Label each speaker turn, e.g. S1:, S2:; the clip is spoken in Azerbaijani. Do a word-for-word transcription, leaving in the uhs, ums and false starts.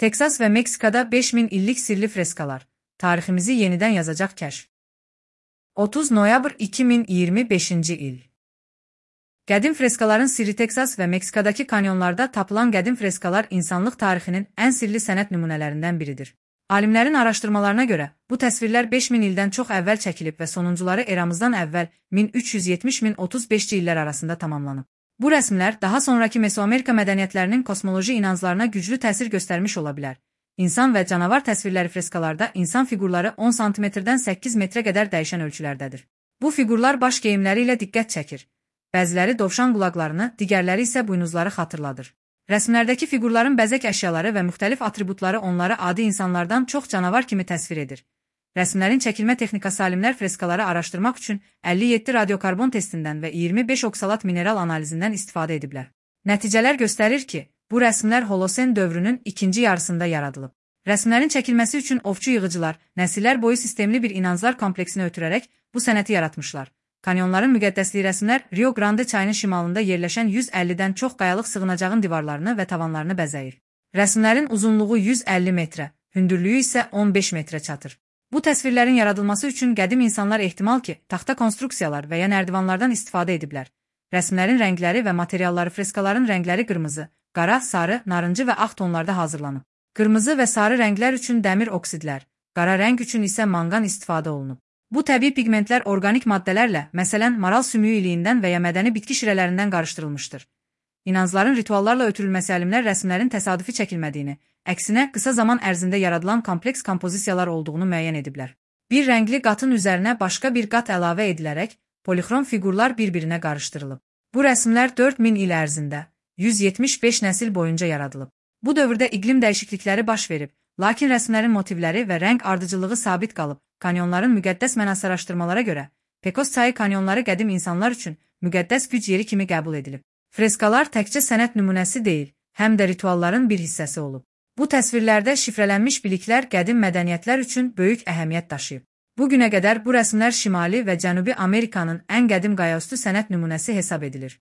S1: Teksas və Meksikada beş min illik sirli freskalar. Tariximizi yenidən yazacaq kəşf. otuz noyabr iki min iyirmi beşinci il. Qədim freskaların sirri. Teksas və Meksikadakı kanyonlarda tapılan qədim freskalar insanlıq tarixinin ən sirli sənət nümunələrindən biridir. Alimlərin araşdırmalarına görə, bu təsvirlər beş min ildən çox əvvəl çəkilib və sonuncuları eramızdan əvvəl min üç yüz yetmiş min otuz beşinci illər arasında tamamlanıb. Bu rəsmlər daha sonraki Mesoamerika mədəniyyətlərinin kosmoloji inanclarına güclü təsir göstərmiş ola bilər. İnsan və canavar təsvirləri freskalarda insan fiqurları on santimetrdən səkkiz metrə qədər dəyişən ölçülərdədir. Bu fiqurlar baş geyimləri ilə diqqət çəkir. Bəziləri dovşan qulaqlarını, digərləri isə buynuzları xatırladır. Rəsmlərdəki fiqurların bəzək əşyaları və müxtəlif atributları onları adi insanlardan çox canavar kimi təsvir edir. Rəsmlərin çəkilmə texnikası alimlər freskaları araşdırmaq üçün əlli yeddi radiokarbon testindən və iyirmi beş oksalat mineral analizindən istifadə ediblər. Nəticələr göstərir ki, bu rəsmlər Holosen dövrünün ikinci yarısında yaradılıb. Rəsmlərin çəkilməsi üçün ovçu yığıcılar, nəsillər boyu sistemli bir inanclar kompleksinə ötürərək bu sənəti yaratmışlar. Kanyonların müqəddəsliyi rəsmlər Rio Grande çayının şimalında yerləşən yüz əllidən çox qayalıq sığınacağın divarlarını və tavanlarını bəzəyir. Rəsmlərin uzunluğu yüz əlli metrə, hündürlüyü isə on beş metrə çatır. Bu təsvirlərin yaradılması üçün qədim insanlar ehtimal ki, taxta konstruksiyalar və ya nərdivanlardan istifadə ediblər. Rəsmlərin rəngləri və materialları. Freskaların rəngləri qırmızı, qara, sarı, narıncı və ağ tonlarda hazırlanıb. Qırmızı və sarı rənglər üçün dəmir oksidlər, qara rəng üçün isə manqan istifadə olunub. Bu təbii pigmentlər orqanik maddələrlə, məsələn, maral sümüyü iliyindən və ya mədəni bitki şirələrindən qarışdırılmışdır. İnancların rituallarla ötürülməsi alimlər rəsmlərin təsadüfi çəkilmədiyini, əksinə qısa zaman ərzində yaradılan kompleks kompozisiyalar olduğunu müəyyən ediblər. Bir rəngli qatın üzərinə başqa bir qat əlavə edilərək, polixrom fiqurlar bir-birinə qarışdırılıb. Bu rəsmlər dörd min il ərzində, yüz yetmiş beş nəsil boyunca yaradılıb. Bu dövrdə iqlim dəyişiklikləri baş verib, lakin rəsmlərin motivləri və rəng ardıcılığı sabit qalıb. Kanyonların müqəddəs mənası araşdırmalara görə, Pecos çayı kanyonları qədim insanlar üçün müqəddəs güc yeri kimi qəbul edilib. Freskalar təkcə sənət nümunəsi deyil, həm də ritualların bir hissəsi olub. Bu təsvirlərdə şifrələnmiş biliklər qədim mədəniyyətlər üçün böyük əhəmiyyət daşıyıb. Bu günə qədər bu rəsmlər Şimali və Cənubi Amerikanın ən qədim qayaüstü sənət nümunəsi hesab edilir.